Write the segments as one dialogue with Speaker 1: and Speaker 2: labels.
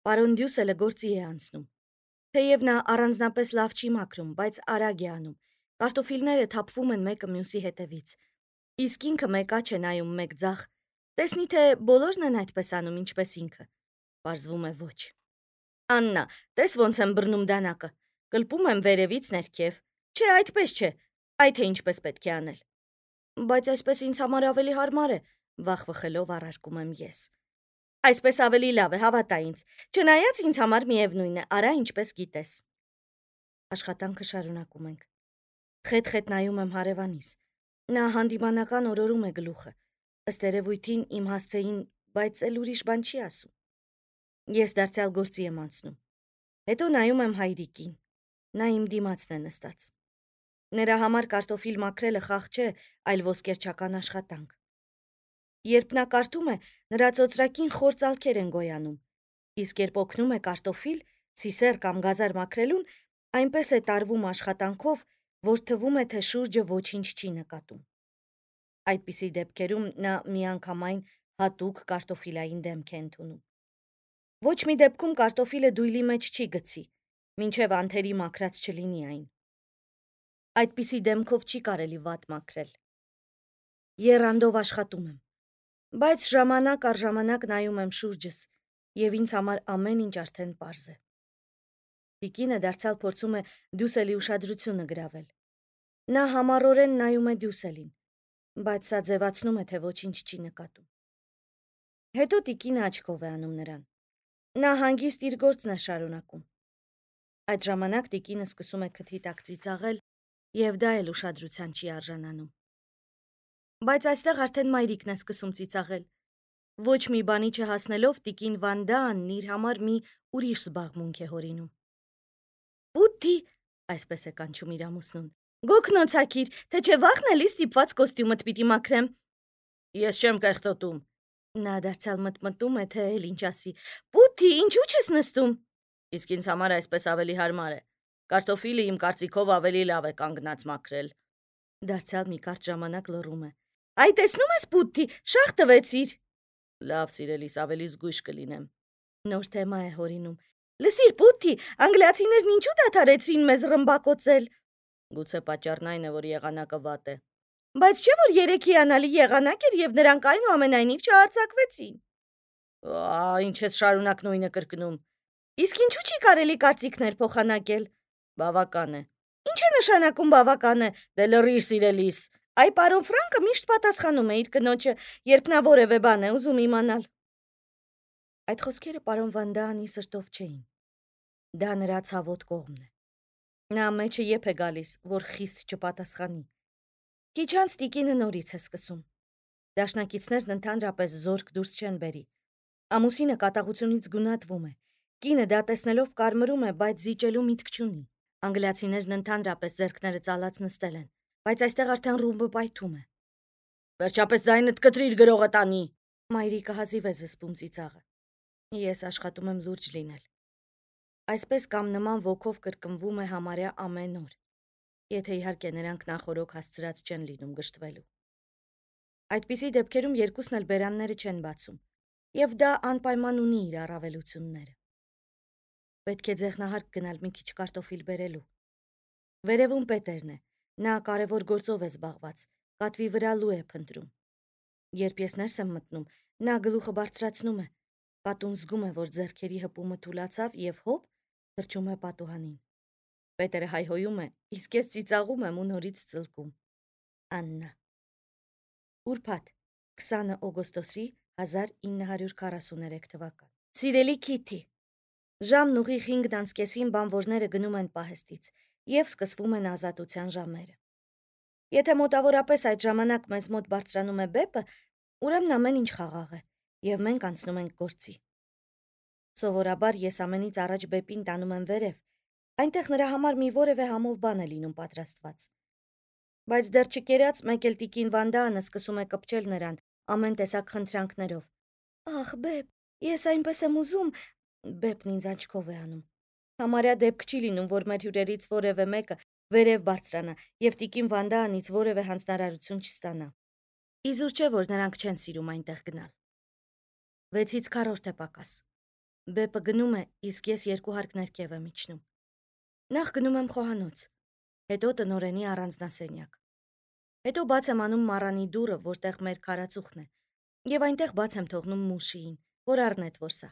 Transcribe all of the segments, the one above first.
Speaker 1: Պարոն Դյուսելը գործի է անցնում։ Թեև նա առանձնապես լավ չի մաքրում, բայց արագ է անում։ Կարտոֆիլները թափվում են մեկը մյուսի հետևից։ Իսկ ինքը մեկ աչ է նայում, մեկ ձախ։ Տեսնի, թե բոլորն են այդպես անում, ինչպես ինքը։ Պարզվում է ոչ։ Աննա, տես ոնց եմ բռնում դանակը։ Կլպում եմ վերևից ներքև։ Չէ, այդպես չէ։ Այ թե ինչպես պետք է անել։ Բայց այսպես ինձ համար ավելի հարմար է, վախվխելով առարկում եմ ես։ Այսպես ավելի լավ է, հավատա ինձ։ Չնայած ինձ համար միևնույն է, արա ինչպես գիտես։ Աշխատանքը շարունակում ենք։ Խետ-խետ նայում եմ հարևանիս։ Նա հանդիմանական օրորում է գլուխը։ Ըստ երևույթին իմ հասցեին, բայց էլ ուրիշ բան չի ասում։ Ես դարձյալ գործի եմ անցնում։ Հետո նայում եմ հայրիկին։ Նա իմ դիմացն է նստած։ Նրա համար կարտոֆիլ մաքրելը խաղ չէ, այլ ոսկերչական աշխատանք։ Երբ նա կարդում է, նրա ծոծրակին խոր ծալքեր են գոյանում, իսկ երբ օգնում է կարտոֆիլ, ցիսեր կամ գազար մաքրելուն, այնպես է տարվում աշխատանքով, որ թվում է, թե շուրջը ոչինչ չի նկատում։ Այդպիսի դեպքերում նա միանգամայն հատուկ կարտոֆիլային դեմք է ընդունում։ Ոչ մի դեպքում կարտոֆիլը դույլի մեջ չի գցի, մինչև անթերի մաքրած չլինի այն։ Այդպիսի դեմքով չի կարելի վատ մաքրել։ Եռանդով աշխատում եմ, բայց ժամանակ առ ժամանակ նայում եմ շուրջս, եւ ինձ համար ամեն ինչ արդեն պարզ է։ Տիկինը դարձյալ փորձում է Դյուսելի ուշադրությունը գրավել։ Նա համառորեն նայում է Դյուսելին, բայց սա ձևացնում է, թե ոչինչ չի նկատում։ Հետո տիկինը աչքով է անում նրան։ Նա հանգիստ իր գործն է շարունակում։ Այդ ժամանակ տիկինը սկսում է քթի տակ ծիծաղել, եւ դա էլ ուշադրության չի արժանանում։ Բայց այստեղ արդեն մայրիկն է սկսում ծիծաղել։ Ոչ մի բանի չհասնելով տիկին Վանդան իր համար մի ուրիշ զբաղմունք է հորինում։ Պուտի, այսպես է կանչում իր ամուսնուն։ Գոքնոցակիր, թե չէ վախն էլի ստիպված կոստյումդ պիտի մաքրեմ։ Ես չեմ կեղտոտում։ Նա դարձյալ մտմտում է, թե էլ ինչ ասի։ Պուտի, ինչու չես նստում։ Իսկ ինձ համար այսպես ավելի հարմար է։ Կարտոֆիլը իմ կարծիքով ավելի լավ է կանգնած մաքրել։ Դարձյալ մի կարճ ժամանակ լռում է։ Այ տեսնում ես, Պուտի, շաղ տվեցիր։ Լավ, սիրելիս, ավելի զգույշ կլինեմ։ Նոր թեմա է հորինում։ Լսիր, Պուտի, անգլիացիներն ինչու դադարեցրին մեզ ռմբակոծել։ Գուցե պատճառն այն է, որ եղանակը վատ է։ Բայց չէ՞ որ 3 հիանալի եղանակ էր եւ նրանք այնուամենայնիվ չհարձակվեցին։ Ինչ ես շարունակ նույնը կրկնում։ Իսկ ինչու չի կարելի կարծիքներ փոխանակել։ Բավական է։ Ինչ է նշանակում բավական է։ Դե լռիր, սիրելիս։ Այ պարոն Ֆրանկը միշտ պատասխանում է իր կնոջը, երբ նա որևէ բան է ուզում իմանալ։ Այդ խոսքերը պարոն Վանդանի սրտով չէին։ Դա նրա ցավոտ կողմն է։ Նա մեջը եփ է գալիս, որ խիստ չպատասխանի։ Քիչ անց տիկինը նորից է սկսում։ Դաշնակիցներն ընդհանրապես զորք դուրս չեն բերի։ Ամուսինը կատաղությունից գունատվում է։ Կինը դա տեսնելով կարմրում է, բայց զիջելու միտք չունի։ Անգլիացիներն ընդհանրապես ձեռքները ծալած նստել են, բայց այստեղ արդեն ռումբը պայթում է։ Վերջապես ձայնդ կտրիր գրողը տանի։ Մայրիկը հազիվ է զսպում ծիծաղը։ Ես աշխատում եմ լուրջ լինել։ Այսպես կամ նման ոգով կրկնվում է համարյա ամեն օր, եթե իհարկե նրանք նախորոք հասցրած չեն լինում գժտվելու։ Այդպիսի դեպքերում երկուսն էլ բերանները չեն բացում, եւ դա անպայման ունի իր առավելությունները։ Պետք է ձեղնահարկ գնալ մի քիչ կարտոֆիլ բերելու։ Վերևում Պետերն է, նա կարևոր գործով է զբաղված, կատվի վրա լու է փնտրում։ Երբ ես ներս եմ մտնում, նա գլուխը բարձրացնում է, կատուն զգում է, որ ձեռքերի հպումը թուլացավ եւ հոպ, թռչում է պատուհանին։ Պետերը հայհոյում է, իսկ ես ծիծաղում եմ ու նորից ծլկում։ Աննա։ Ուրբաթ, 20 օգոստոսի 1943 թվական։ Սիրելի Քիթի, ժամն ուղիղ 5:30-ին բանվորները գնում են պահեստից եւ սկսվում են ազատության ժամերը։ Եթե մոտավորապես այդ ժամանակ մեզ մոտ բարձրանում է բեպը, ուրեմն ամեն ինչ խաղաղ է եւ մենք անցնում ենք գործի։ Սովորաբար ես ամենից առաջ բեպին տանում եմ վերև, այնտեղ նրա համար մի որևէ համով բան է լինում պատրաստված։ Բայց դեռ չկերած մեկ էլ տիկին Վանդանը սկսում է կպչել նրան ամեն տեսակ խնդրանքներով։ Ախ, բեպ, ես այնպես եմ ուզում, բեպն ինձ աչքով է անում։ Համարյա դեպք չի լինում, որ մեր հյուրերից որևէ մեկը վերև բարձրանա եւ տիկին Վանդանից որևէ հանձնարարություն չստանա։ Իզուր չէ, որ նրանք չեն սիրում այնտեղ գնալ։ 6-ից քառորդ է պակաս։ Բեպը գնում է, իսկ ես երկու հարկ ներքև եմ իջնում։ Նախ գնում եմ խոհանոց, հետո տնօրենի առանձնասենյակ։ Հետո բաց եմ անում մառանի դուռը, որտեղ մեր քարածուխն է, եւ այնտեղ բաց եմ թողնում Մուշիին, որ առնետ որ սա։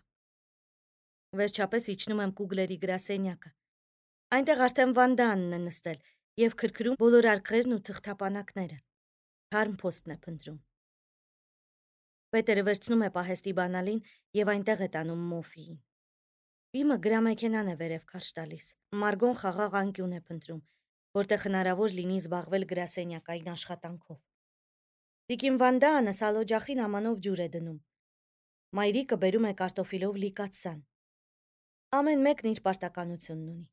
Speaker 1: Վերջապես իջնում եմ Կուգլերի գրասենյակը։ Այնտեղ արդեն Վանդանն է նստել եւ քրքրում բոլոր արկղերն ու թղթապանակները։ Թարմ փոստն է փնտրում։ Պետերը վերցնում է պահեստի բանալին եւ այնտեղ է տանում Մոֆիին։ Բիմը գրամեքենան է վերև քարշ տալիս։ Մարգոն խաղաղ անկյուն է փնտրում, որտեղ հնարավոր լինի զբաղվել գրասենյակային աշխատանքով։ Տիկին Վանդանը սալօջախին ամանով ջուր է դնում։ Մայրիկը բերում է կարտոֆիլով լիկած սան։ Ամեն մեկն իր պարտականությունն ունի։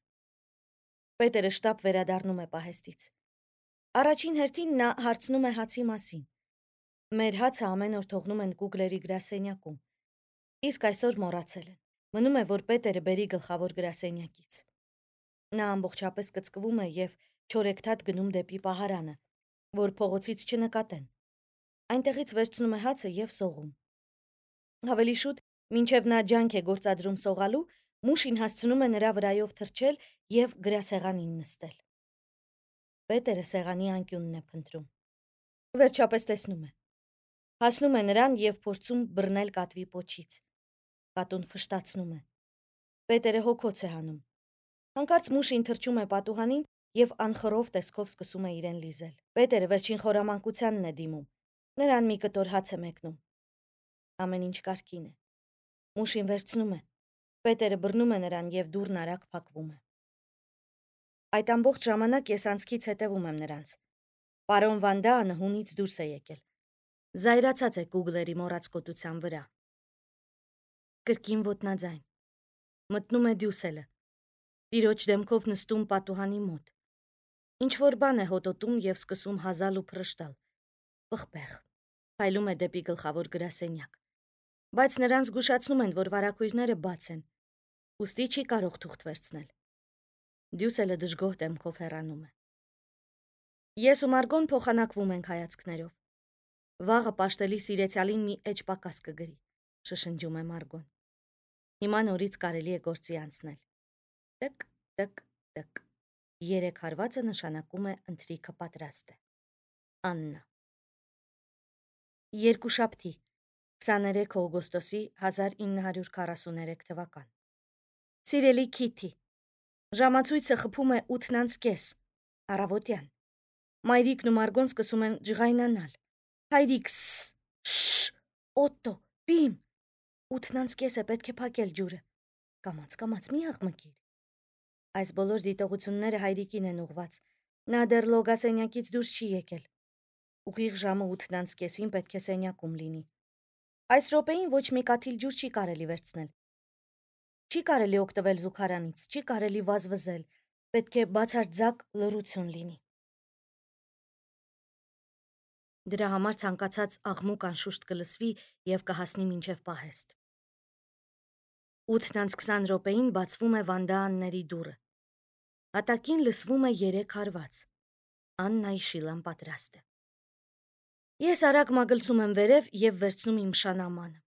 Speaker 1: Պետերը շտապ վերադառնում է պահեստից։ Առաջին հերթին նա հարցնում է հացի մասին։ Մեր հացը ամեն օր թողնում են Կուգլերի գրասենյակում, իսկ այսօր մոռացել են։ Մնում է, որ Պետերը բերի գլխավոր գրասենյակից։ Նա ամբողջապես կծկվում է եւ չորեքթաթ գնում դեպի պահարանը, որ փողոցից չնկատեն։ Այնտեղից վերցնում է հացը եւ սողում։ Ավելի շուտ, մինչև նա ջանք է գործադրում սողալու, Մուշին հասցնում է նրա վրայով թռչել եւ գրասեղանին նստել։ Պետերը սեղանի անկյունն է փնտրում։ Վերջապես տեսնում է։ Հասնում է նրան եւ փորձում բռնել կատվի պոչից։ Կատուն ֆշտացնում է։ Պետերը հոգոց է հանում։ Հանկարծ Մուշին թռչում է պատուհանին եւ անխռով տեսքով սկսում է իրեն լիզել։ Պետերը վերջին խորամանկությանն է դիմում։ Նրան մի կտոր հաց է մեկնում։ Ամեն ինչ կարգին է։ Մուշին վերցնում է։ Պետերը բռնում է նրան եւ դուռն արագ փակվում է։ Այդ ամբողջ ժամանակ ես անցքից հետևում եմ նրանց։ Պարոն Վանդանը հունից դուրս է եկել։ Զայրացած է Կուգլերի մոռացկոտության վրա։ Կրկին ոտնաձայն։ Մտնում է Դյուսելը։ Տիրոջ դեմքով նստում պատուհանի մոտ։ Ինչ որ բան է հոտոտում եւ սկսում հազալ ու փռշտալ։ Պղպեղ։ Փայլում է դեպի գլխավոր գրասենյակ։ Բայց նրան զգուշացնում են, որ վարակույրները բաց են։ Ուստի չի կարող թուղթ վերցնել։ Դյուսելը դժգոհ դեմքով հեռանում է։ Ես ու Մարգոն փոխանակվում ենք հայացքներով։ Վաղը պաշտելի սիրեցյալին մի էջ պակաս կգրի, շշնջում է Մարգոն։ Հիմա նորից կարելի է գործի անցնել։ Տկ, տկ, տկ։ 3 հարվածը նշանակում է ընթրիքը պատրաստ է։ Աննա։ Երկուշաբթի, 23 օգոստոսի 1943 թվական։ Սիրելի Քիթի, ժամացույցը խփում է 8:30, առավոտյան։ Մայրիկն ու Մարգոն սկսում են ջղայնանալ։ Հայրիկ, շշ, Օտտո, բիմ։ 8:30 է, պետք է փակել ջուրը։ Կամաց, մի աղմկիր։ Այս բոլոր դիտողությունները հայրիկին են ուղված։ Նա դեռ լոգասենյակից դուրս չի եկել։ Ուղիղ ժամը 8:30-ին պետք է սենյակում լինի։ Այս րոպեին ոչ մի կաթիլ ջուր չի կարելի վերցնել։ Չի կարելի օգտվել զուգարանից, չի կարելի վազվզել։ Պետք է բացարձակ լռություն լինի։ Դրա համար ցանկացած աղմուկ անշուշտ կլսվի եւ կհասնի մինչեւ պահեստ։ 8:20 րոպեին բացվում է Վանդաանների դուռը։ Հատակին լսվում է 3 հարված։ Աննայի շիլան պատրաստ է։ Ես արագ մագլցում եմ վերև եւ վերցնում իմ շանամանը։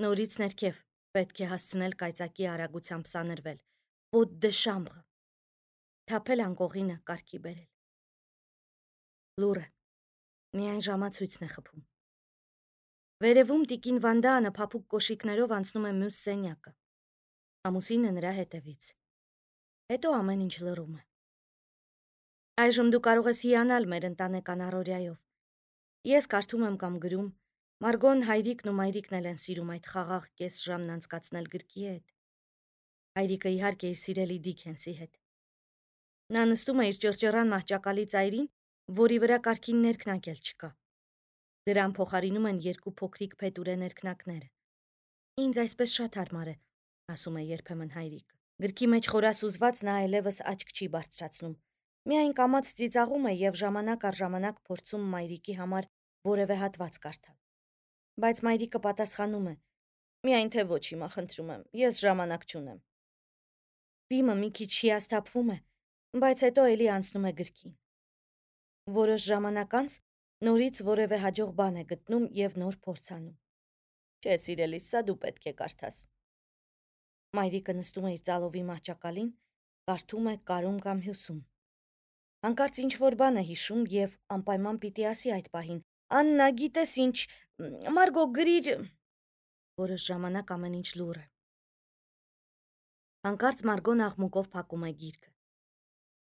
Speaker 1: Նորից ներքև պետք է հասցնել կայծակի արագությամբ սանրվել։ Ոտ դե շամբղը։ Թափել անկողինը կարգի բերել։ Լուրը։ Միայն ժամացույցն է խփում։ Վերևում տիկին Վանդանը փափուկ կոշիկներով անցնում է մյուս սենյակը։ Ամուսինը նրա հետևից։ Հետո ամեն ինչ լռում է։ Այժմ դու կարող ես հիանալ մեր ընտանեկան առօրյայով։ Ես կարդում եմ կամ գրում, Մարգոն, հայրիկն ու մայրիկն էլ են սիրում այդ խաղաղ կես ժամն անցկացնել գրքի հետ։ Հայրիկը իհարկե իր սիրելի Դիքենսի հետ։ Նա նստում է իր ճռճռան մահճակալի ծայրին, որի վրա կարգին ներքնակ էլ չկա։ Դրան փոխարինում են 2 փոքրիկ փետուրե ներքնակները։ Ինձ այսպես շատ հարմար է, ասում է երբեմն հայրիկը։ Գրքի մեջ խորասուզված նա այլևս աչք չի բարձրացնում։ Միայն կամաց ծիծաղում է եւ ժամանակ առ ժամանակ փորձում մայրիկի համար որևէ հատված կարդալ։ Բայց մայրիկը պատասխանում է. միայն թե ոչ հիմա, խնդրում եմ, ես ժամանակ չունեմ։ Բիմը մի քիչ հիասթափվում է, բայց հետո էլի անցնում է գրքին։ Որոշ ժամանակ անց նորից որևէ հաջող բան է գտնում եւ նոր փորձ անում։ Չէ, սիրելիս, սա դու պետք է կարդաս։ Մայրիկը նստում է իր ծալովի մահճակալին, կարդում է կարում կամ հյուսում։ Հանկարծ ինչ-որ բան է հիշում և անպայման պիտի ասի այդ պահին. «Աննա, գիտես ինչ, Մարգո, գրիր»։ Որոշ ժամանակ ամեն ինչ լուռ է։ Հանկարծ Մարգոն աղմուկով փակում է գիրքը։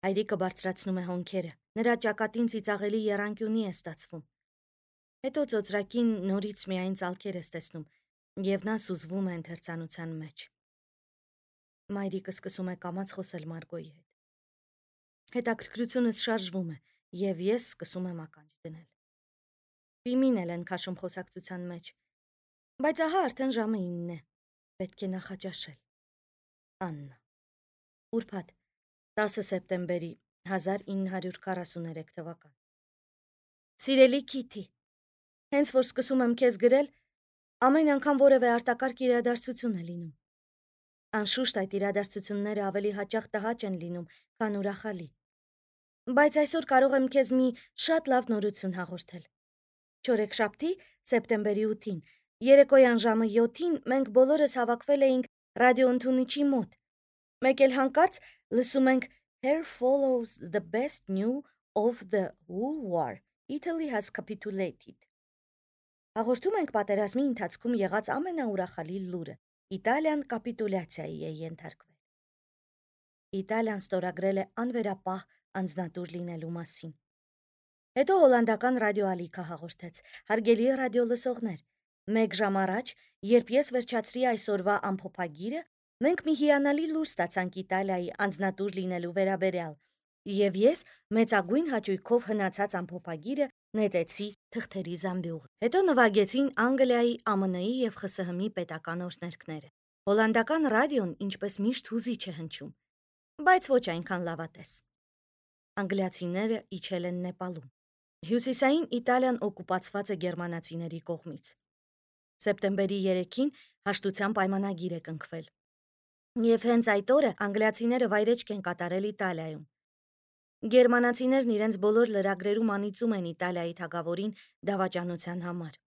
Speaker 1: Հայրիկը բարձրացնում է հոնքերը, նրա ճակատին ծիծաղելի եռանկյունի է ստացվում։ Հետո ծոծրակին նորից միայն ծալքեր է ստեսնում, և նա սուզվում է ընթերցանության մեջ։ Մայրիկը սկսում է կամաց խոսել Մարգոյի հետ։ Հետաքրքրությունս շարժվում է, և ես սկսում եմ ականջ դնել։ Պիմին էլ են քաշում խոսակցության մեջ, բայց ահա արդեն ժամը 9 է, պետք է նախաճաշել։ Աննա։ Ուրբաթ, 10 սեպտեմբերի 1943 թվական։ Սիրելի Քիթի, հենց որ սկսում եմ քեզ գրել, ամեն անգամ որևէ արտակարգ իրադարձություն է լինում։ Անշուշտ այդ իրադարձությունները ավելի հաճախ տհաճ են լինում, քան ուրախալի։ Բայց այսօր կարող եմ քեզ մի շատ լավ նորություն հաղորդել։ Չորեքշաբթի, սեպտեմբերի 8-ին, երեկոյան ժամը 7-ին մենք բոլորս հավաքվել էինք ռադիոընդունիչի մոտ։ Մեկ էլ հանկարծ լսում ենք Here follows the best news of the whole war. Italy has capitulated. Հաղորդում ենք պատերազմի ընթացքում եղած ամենաուրախալի լուրը. Իտալիան կապիտուլյացիայի է ենթարկվել։ Իտալիան ստորագրել է անվերապահ անձնատուր լինելու մասին։ Հետո հոլանդական ռադիոալիքը հաղորդեց. հարգելի ռադիոլսողներ, մեկ ժամ առաջ, երբ ես վերջացրի այսօրվա ամփոփագիրը, մենք մի հիանալի լուր ստացանք Իտալիայի անձնատուր լինելու վերաբերյալ, և ես մեծագույն հաճույքով հնացած ամփոփագիրը նետեցի թղթերի զամբյուղ։ Հետո նվագեցին Անգլիայի, ԱՄՆ-ի և ԽՍՀՄ-ի պետական օրհներգները։ Հոլանդական ռադիոն ինչպես միշտ հուզիչ է հնչում, բայց ոչ այնքան լավատես։ Անգլիացիները իջել են Նեպալում։ Հյուսիսային Իտալիան օկուպացված է գերմանացիների կողմից։ Սեպտեմբերի 3-ին հաշտության պայմանագիր է կնքվել։ Եվ հենց այդ օրը անգլիացիները վայրեջք են կատարել Իտալիայում։ Գերմանացիներն իրենց բոլոր լրագրերում անիծում են Իտալիայի թագավորին դավաճանության համար։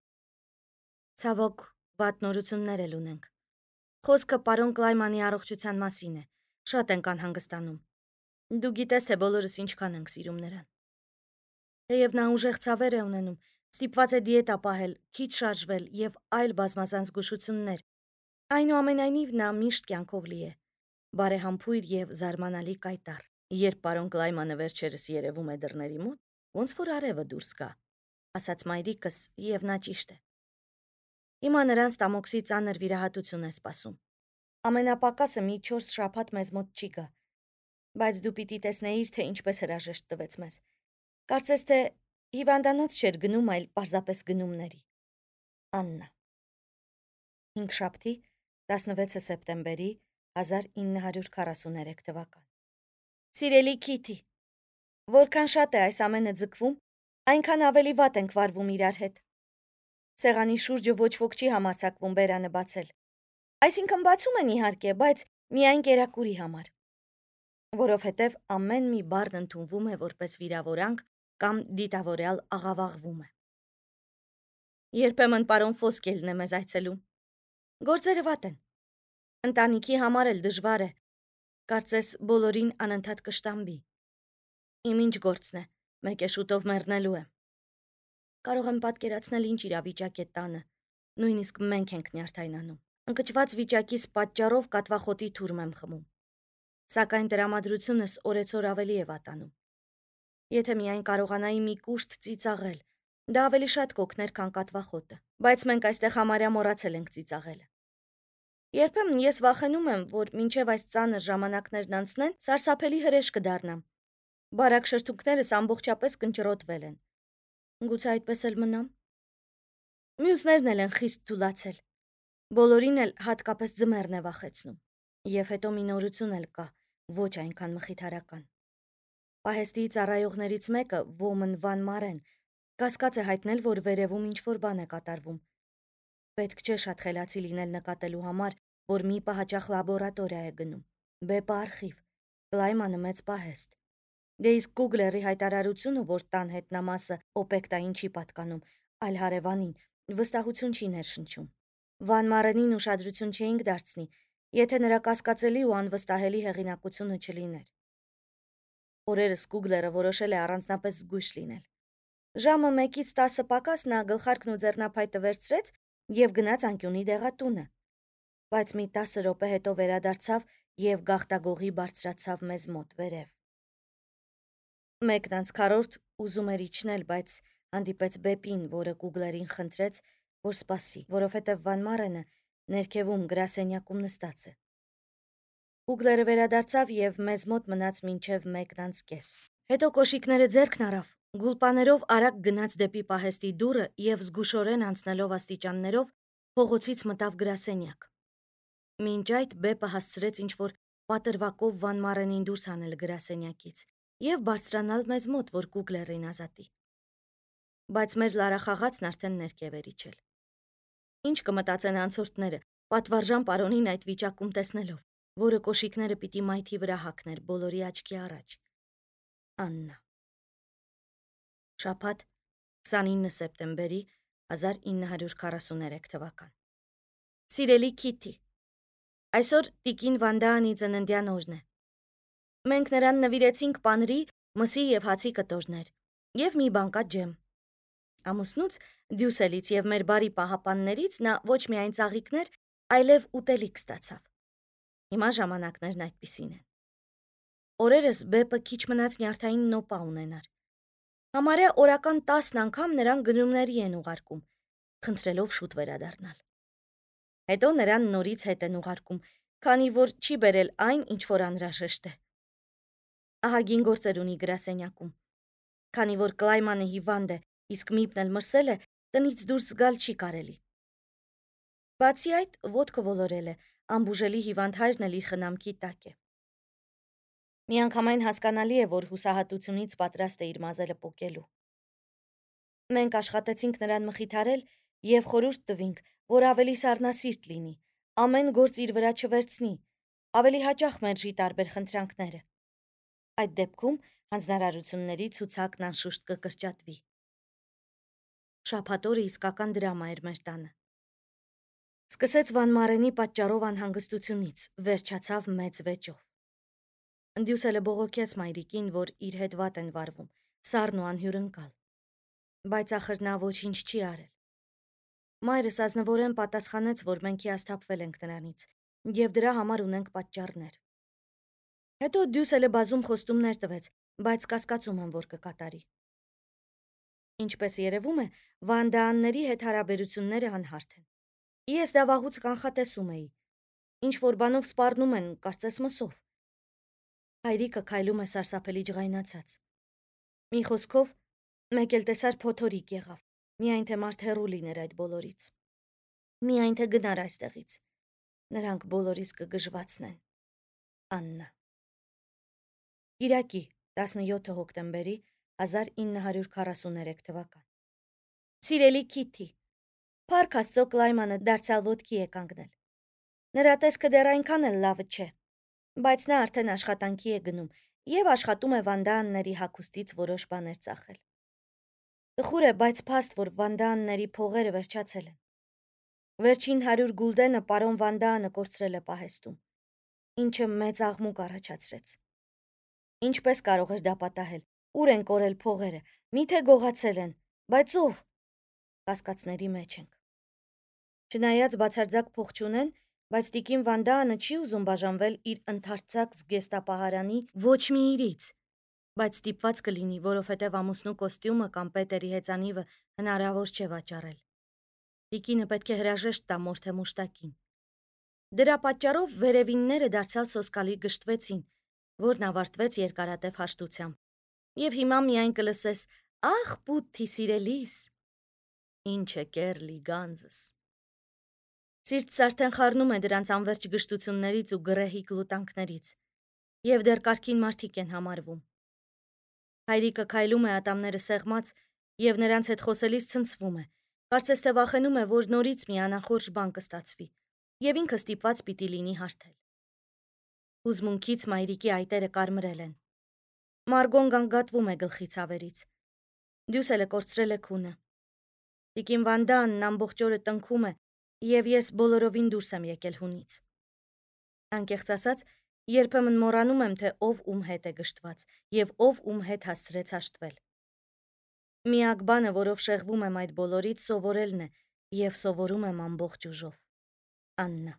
Speaker 1: Ցավոք, վատ նորություններ էլ ունենք։ Խոսքը պարոն Կլայմանի առողջության մասին է։ Շատ ենք անհանգստանում։ Դու գիտես, թե բոլորս ինչքան ենք սիրում նրան։ Թեև նա ուժեղ ցավեր է ունենում, ստիպված է դիետա պահել, քիչ շարժվել և այլ բազմազան զգուշություններ, այնուամենայնիվ նա միշտ կյանքով լի է, բարեհամբույր և զարմանալի կայտառ։ Երբ պարոն Կլայմանը վերջերս երևում է դռների մոտ, ոնց որ արևը դուրս գա, ասաց մայրիկս, և նա ճիշտ է։ Հիմա նրան ստամոքսի ծանր վիրահատություն է սպասում։ Ամենապակասը մի 4 շաբաթ մեզ մոտ չի գա, բայց դու պիտի տեսնեիր, թե ինչպես հրաժեշտ տվեց մեզ։ Կարծես թե հիվանդանոց չէր գնում, այլ պարզապես գնումների։ Աննա։ Հինգշաբթի, 16 սեպտեմբերի 1943 թվական։ Սիրելի Քիթի, որքան շատ է այս ամենը ձգվում, այնքան ավելի վատ ենք վարվում իրար հետ։ Սեղանի շուրջը ոչ ոք չի համարձակվում բերանը բացել։ Այսինքն բացում են իհարկե, բայց միայն կերակուրի համար։ Որովհետև ամեն մի բառն ընդունվում է որպես վիրավորանք կամ դիտավորյալ աղավաղվում է։ Երբեմն պարոն Ֆոսկելն է մեզ այցելում։ Գործերը վատ են։ Ընտանիքի համար էլ դժվար է։ Կարծես բոլորին անընդհատ կշտամբի։ Իմ ինչ գործն է, մեկ է շուտով մեռնելու եմ։ Կարող եմ պատկերացնել ինչ իրավիճակ է տանը, նույնիսկ մենք ենք նյարդայնանում։ Ընկճված վիճակիս պատճառով կատվախոտի թուրմ եմ խմում։ Սակայն տրամադրությունս օրեցօր ավելի է վատանում։ Եթե միայն կարողանայի մի կուշտ ծիծաղել, դա ավելի շատ կօգներ, քան կատվախոտը, բայց մենք այստեղ համարյա մոռացել ենք ծիծաղելը։ Երբեմն ես վախենում եմ, որ մինչև այս ծանր ժամանակներն անցնեն, սարսափելի հրեշ կդառնամ։ Բարակ շրթունքներս ամբողջապես կնճռոտվել են։ Գուցե այդպես էլ մնամ։ Մյուսներն էլ են խիստ թուլացել։ Բոլորին էլ հատկապես ձմեռն է վախեցնում։ Եվ հետո մի նորություն էլ կա, ոչ այնքան մխիթարական։ Պահեստի ծառայողներից մեկը, Ոմն Վան Մարեն, կասկած է հայտնել, որ վերևում ինչ-որ բան է կատարվում։ Պետք չէ շատ խելացի լինել նկատելու համար, որ մի պահաճախ լաբորատորիա է գնում։ Բեպը արխիվ, Կլայմանը մեծ պահեստ։ Դե իսկ Կուգլերի հայտարարությունը, որ տան հետնամասը օպեկտային չի պատկանում, այլ հարևանին, վստահություն չի ներշնչում։ Վան Մարենին ուշադրություն չէինք դարձնի, եթե նրա կասկածելի ու անվստահելի հեղինակությունը չլիներ։ Օրերս Կուգլերը որոշել է առանձնապես զգույշ լինել։ Ժամը 1-ից 10 պակաս նա գլխարկն ու ձեռնափայտը վերցրեց եւ գնաց անկյունի դեղատունը, բայց մի 10 րոպե հետո վերադարձավ եւ գաղտագողի բարձրացավ մեզ մոտ վերև։ 1:40 ուզում էր իջնել, բայց հանդիպեց Բեպին, որը Կուգլերին խնդրեց, որ սպասի, որովհետև Վան Մարենը ներքևում գրասենյակում նստած է։ Կուգլերը վերադարձավ եւ մեզ մոտ մնաց մինչեւ 1:50։ Հետո կոշիկները ձեռքն առավ, գուլպաներով արագ գնաց դեպի պահեստի դուռը եւ զգուշորեն անցնելով աստիճաններով փողոցից մտավ գրասենյակ։ Մինչ այդ Բեպը հասցրեց ինչ-որ պատրվակով Վան Մարենին դուրս հանել գրասենյակից եւ բարձրանալ մեզ մոտ, որ Կուգլերին ազատի։ Բայց մեր լարախաղացն արդեն ներքև էր իջել։ Ինչ կմտածեն անցորդները, պատվարժան պարոնին այդ վիճակում տեսնելով, որը կոշիկները պիտի մայթի վրա հագներ բոլորի աչքի առաջ։ Աննա։ Շաբաթ 29 սեպտեմբերի 1943 թվական։ Սիրելի Քիթի, այսօր տիկին Վանդաանի ծննդյան օրն է։ Մենք նրան նվիրեցինք պանրի, մսի եւ հացի կտորներ եւ մի բանկատ ջեմ։ Ամուսնուց, Դյուսելից եւ մեր բարի պահապաններից նա ոչ միայն ծաղիկներ, այլև ուտելիք ստացավ։ Հիմա ժամանակներն այդպիսին են։ Օրերս Բեպը քիչ մնաց նյարդային նոպա ունենար։ Համարյա օրական 10 անգամ նրան գնումների են ուղարկում, խնդրելով շուտ վերադառնալ։ Հետո նրան նորից հետ են ուղարկում, քանի որ չի բերել այն, ինչ որ անհրաժեշտ է։ Ահագին գործեր ունի գրասենյակում։ Քանի որ Կլայմանը հիվանդ է, իսկ Միպն էլ մրսել է, տնից դուրս գալ չի կարելի։ Բացի այդ, ոտքը ոլորել է, անբուժելի հիվանդ հայրն էլ իր խնամքի տակ է։ Միանգամայն հասկանալի է, որ հուսահատությունից պատրաստ է իր մազերը պոկելու։ Մենք աշխատեցինք նրան մխիթարել եւ խորհուրդ տվինք, որ ավելի սառնասիրտ լինի, ամեն գործ իր վրա չվերցնի, ավելի հաճախ մերժի տարբեր խնդրանքները։ Այդ դեպքում հանձնարարությունների ցուցակն անշուշտ կկրճատվի։ Շաբաթ օրը իսկական դրամա էր մեր տանը։ Սկսեց Վան Մարենի պատճառով անհանգստությունից, վերջացավ մեծ վեճով։ Դյուսելը բողոքեց մայրիկին, որ իր հետ վատ են վարվում, սառն ու անհյուրընկալ։ Բայց ախր նա ոչինչ չի արել։ Մայրս ազնվորեն պատասխանեց, որ մենք հիասթափվել ենք նրանից եւ դրա համար ունենք պատճառներ։ Հետո Դյուսելը բազում խոստումներ տվեց, բայց կասկածում եմ, որ կկատարի։ Ինչպես երևում է, Վանդաանների հետ հարաբերությունները անհարթ են։ Ես դա վաղուց կանխատեսում էի։ Ինչ որ բանով սպառնում են, կարծես մսով։ Հայրիկը քայլում է սարսափելի ջղայնացած։ Մի խոսքով, մեկ էլ տեսար փոթորիկ եղավ, միայն թե մարդ հեռու լիներ այդ բոլորից։ Միայն թե գնար այստեղից։ Նրանք բոլորիս կգժվացնեն։ Աննա։ Կիրակի 17 հոկտեմբերի 1943 թվական։ Սիրելի Քիթի, Փառք Աստծո Կլայմանը դարձյալ ոտքի է կանգնել։ Նրա տեսքը դեռ այնքան էլ լավը չէ, բայց նա արդեն աշխատանքի է գնում եւ աշխատում է Վանդաանների հագուստից որոշ բաներ ծախել։ Տխուր է, բայց փաստ, որ Վանդաանների փողերը վերջացել են։ Վերջին 100 գուլդենը պարոն Վանդաանը կորցրել է պահեստում, ինչը մեծ աղմուկ առաջացրեց։ Ինչպես կարող էր դա պատահել։ Ուր են կորել փողերը։ Միթե գողացել են, բայց ով։ Կասկածների մեջ ենք։ Չնայած բացարձակ փող չունեն, բայց տիկին Վանդաանը չի ուզում բաժանվել իր ընդարձակ զգեստապահարանի ոչ մի իրից, բայց ստիպված կլինի, որովհետև ամուսնու կոստյումը կամ Պետերի հեծանիվը հնարավոր չէ վաճառել։ Տիկինը պետք է հրաժեշտ տա մոր թե մուշտակին։ Դրա պատճառով վերևինները դարձյալ սոսկալի գժտվեցին, որն ավարտվեց երկարատև հաշտությամբ։ Եվ հիմա միայն կլսես. «Ախ, պուտի սիրելիս»։ Ինչ է կերլի գանձս։ Սիրտս արդեն խառնում է դրանց անվերջ գժտություններից ու գռեհիկ լուտանքներից, եւ դեռ կարգին մարդիկ են համարվում։ Հայրիկը քայլում է ատամները սեղմած եւ նրանց հետ խոսելիս ցնցվում է, կարծես թե վախենում է, որ նորից մի անախորժ բան կստացվի, եւ ինքը ստիպված պիտի լինի հարթել։ Հուզմունքից մայրիկի այտերը կարմրել են։ Մարգոն գանգատվում է գլխի ցավերից։ Դյուսելը կորցրել է քունը։ Տիկին Վանդաանն ամբողջ օրը տնքում է, եւ ես բոլորովին դուրս եմ եկել հունից։ Անկեղծ ասած, երբեմն մոռանում եմ, թե ով ում հետ է գժտված եւ ով ում հետ հասցրեց հաշտվել։ Միակ բանը, որով շեղվում եմ այդ բոլորից, սովորելն է եւ սովորում եմ ամբողջ ուժով։ Աննա։